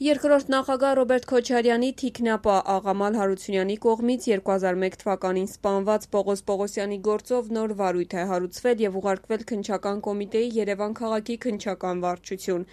Երկրորդ նախագահ Ռոբերտ Քոչարյանի թիկնապա Աղամալ Հարությունյանի կողմից 2001 թվականին սպանված Պողոս Պողոսյանի գործով նոր վարույթ է հարուցվել և ուղարկվել Քննչական կոմիտեի Երևան քաղաքի քննչական վարչություն։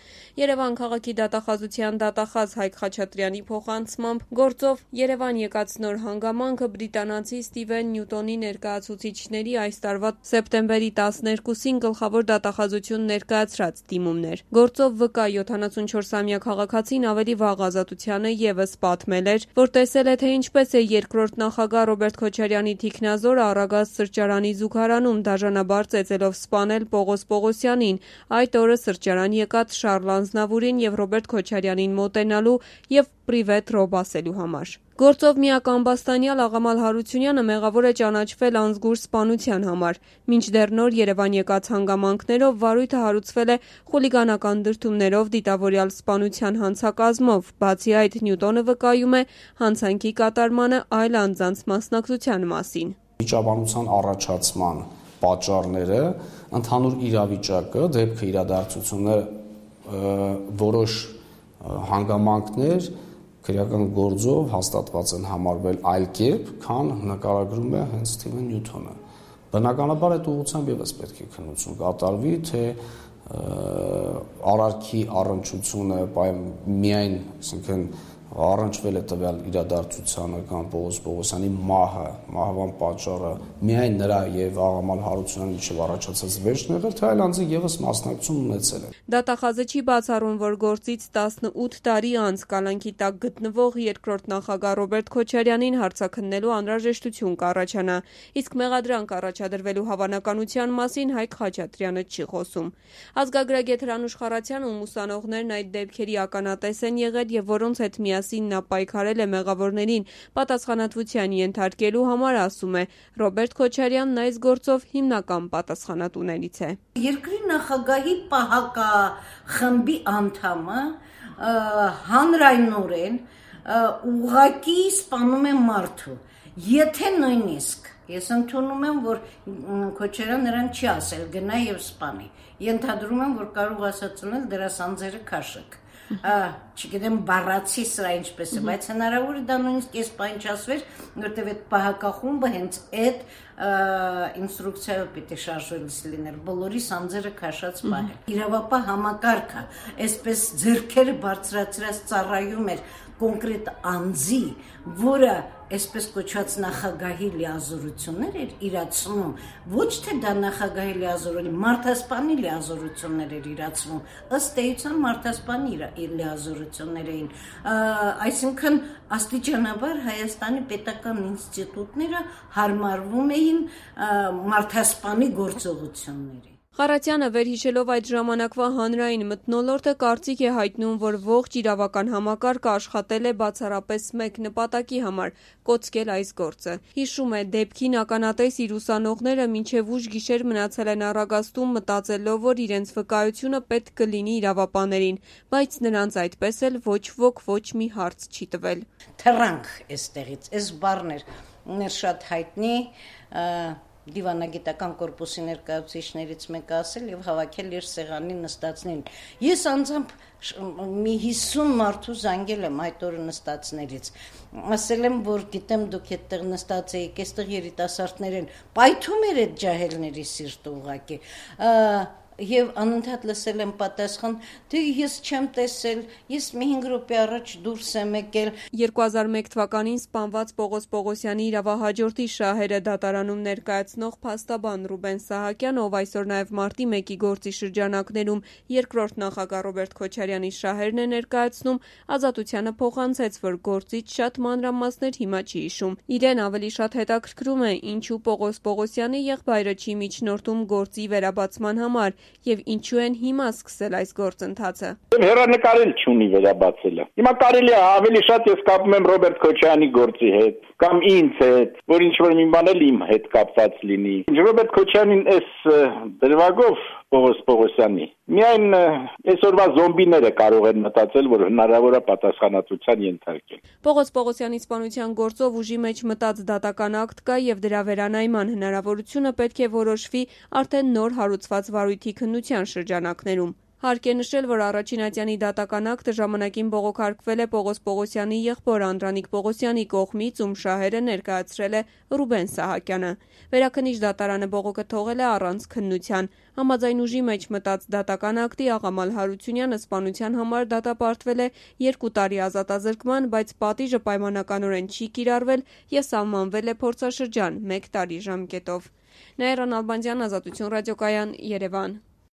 Երևան քաղաքի դատախազության դատախազ Հայկ Խաչատրյանի փոխանցմամբ գործով Երևան եկած նոր հանգամանքը բրիտանացի Ստիվեն Նյուտոնի ներկայացուցիչների այս տարվա սեպտեմբերի 12-ին գլխավոր դատախազություն ներկայացրած դիմումն էր։ Գործով վկա 74-ամյա քաղաքացին ավելի վաղ ազատությանը ևս պատմել էր, որ տեսել է, թե ինչպես է երկրորդ նախագահ Ռոբերտ Քոչարյանի թիկնազորը Առագաստ սրճարանի զուգարանում դաժանաբար ծեծելով սպանել Պողոս Պողոսյանին, այդ օրը սրճարան եկած Շառլ Ազնավուրին և Ռոբերտ Քոչարյանին մոտենալու և պրիվետ ռոբ ասելու համար։ Գործով միակ ամբաստանյալ Աղամալ Հարությունյանը մեղավոր է ճանաչվել անզգուր սպանության համար։ Մինչդեռ նոր Երևան եկած հանգամանքներով վարույթը հարուցվել է խուլիգանական դրդումներով դիտավորյալ սպանության հանցակազմով, բացի այդ Նյուտոնը վկայում է հանցանքի կատարմանը այլ անձանց մասնակցության մասին։ Վիճաբանության առաջացման պատճառները, ընդհանուր իրավիճակը, դեպքը, իրադարձությունները, որոշ հանգամանքներ քրեական գործով հաստատված են համարվել այլ կերպ, քան նկարագրում է հենց Ստիվեն Նյուտոնը։ Բնականաբար այդ ուղղությամբ ևս պետք է քննություն կատարվի, թե արարքի առնչությունը միայն, ասենք, առնչվել է տվյալ իրադարձությանը կամ Պողոս Պողոսյանի մահվան պատճառը միայն նրա եւ Աղամալ Հարությունյանի միջև առաջացած վերջն եղել, թե այլ անձի ևս մասնակցություն ունեցել են։ Դատախազը չի բացառում, որ գործից 18 տարի անց կալանքի տակ գտնվող երկրորդ նախագահ Ռոբերտ Քոչարյանին հարցաքննելու անհրաժեշտություն կառաջանա, իսկ մեղադրանք առաջադրվելու հավանականության մասին Հայկ Խաչատրյանը չի խոսում։ Ազգագրագետ Հրանուշ Խառատյանն ում ուսանողներն այդ դեպքերի ականատես են եղել եւ որոնց հետ միասին նա պայքարել է մեղավորներին պատասխանատվության ենթարկելու համար, ասում է, Ռոբերտ Քոչարյանն այս գործով հիմնական պատասխանատուներից է։ Երկրի նախագահի պահակախմբի անդամը հանրայնորեն ուղղակի սպանում է մարդու, եթե նույնիսկ ես ընդունում եմ, որ Քոչարյան նրան չի ասել գնա եւ սպանի, ենթադրում եմ, որ կարող ասած ունել դրա սանձերը քաշեք, չգիտեմ բառացի սրա ինչպես է, բայց հնարավոր է դա նույնիսկ ես պայնչասվեր, որտեւ այդ պահակախումբը հենց այդ ինստրուկցիայով պիտի շարժվելիս լիներ, բոլորի սանձերը քաշած պահել։ Իրավապահ համակարգը այսպես ձեռքերը բարձրացրած ծառայում էր կոնկրետ անձի, որը այսպես կոչված նախագահի լիազորություններ էր իրացնում, ոչ թե դա նախագահի լիազորելի, մարդասպանի լիազորություններ էր իրացնում, ըստ էության մարդասպանի լիազորություններ էին, այսինքն աստիճանաբար Հայաստանի պետական ինստիտուտները հարմարվում էին մարդասպանի գործողությունների։ Խառատյանը վերհիշելով այդ ժամանակվա հանրային մթնոլորտը կարծիք է հայտնում, որ ողջ իրավական համակարգը աշխատել է բացառապես մեկ նպատակի համար՝ կոծկել այս գործը։ Հիշում է, դեպքին ականատես իր ուսանողները մինչև ուշ գիշեր մնացել են Առագաստում մտածելով, որ իրենց վկայությունը պետք կլինի իրավապահներին, բայց նրանց այդպես էլ ոչ ոք ոչ մի հարց չի տվել։ Թռանք էստեղից, այս բառն էր շատ հայտնի դիվանագիտական կորպուսի ներկայացուցիչներից մեկը ասել եւ հավաքել իր սեղանի նստածներին։ Ես անձամբ մի 50 մարդու զանգել եմ այդ օրը նստածներից։ Ասել եմ, որ գիտեմ դուք այդտեղ նստած եք, այստեղ երիտասարդներ են, պայթում էր այդ ջահելների սիրտը ուղղակի։ Եվ անընդհատ լսել եմ պատասխան, թե ես չեմ տեսել, ես մի 5 րոպե առաջ դուրս եմ եկել։ 2001 թվականին սպանված Պողոս Պողոսյանի իրավահաջորդի շահերը դատարանում ներկայացնող փաստաբան Ռուբեն Սահակյանը, ով այսօր նաև մարտի 1-ի գործի շրջանակներում երկրորդ նախագահ Ռոբերտ Քոչարյանի շահերն է ներկայացնում, ազատությանը փոխանցեց, որ գործից շատ մանրամասներ հիմա չի հիշում։ Իրեն ավելի շատ հետաքրքրում է, ինչու Պողոս Պողոսյանի եղբայրը չի միջնորդում գործի վերաբացման համար եւ ինչու են հիմա սկսել այս գործընթացը։ Հեռանկարել չունի վերաբացելը։ Հիմա կարելի է ավելի շատ ես կապում եմ Ռոբերտ Քոչարյանի գործի հետ կամ ինձ հետ, որ ինչ-որ մի բան էլ իմ հետ կապված լինի։ Ռոբերտ Քոչարյանին այս դրվագով Պողոս Պողոսյանի միայն այսօրվա զոմբիները կարող են մտածել, որ հնարավոր է պատասխանատվության ենթարկել։ Պողոս Պողոսյանի սպանության գործով ուժի մեջ մտած դատական ակտ կա եւ դրա վերանայման հնարավորությունը պետք է որոշվի արդեն նոր հարուցված վարույթի քննության շրջանակներում։ Հարկ է նշել, որ առաջին ատյանի դատական ակտը ժամանակին բողոքարկվել է Պողոս Պողոսյանի եղբոր Անդրանիկ Պողոսյանի կողմից, ում շահերը ներկայացրել է Ռուբեն Սահակյանը։ Վերաքննիչ դատարանը բողոքը թողել է առանց քննության։ Համաձայն ուժի մեջ մտած դատական ակտի Աղամալ Հարությունյանը սպանության համար դատապարտվել է 2 տարի ազատազրկման, բայց պատիժը պայմանականորեն չի կիրառվել եւ սահմանվել է փորձաշրջան 1 տարի ժամկետով։ Նաիրա Նալբանդյան, Ազատություն ռադիոկայան, Երևան։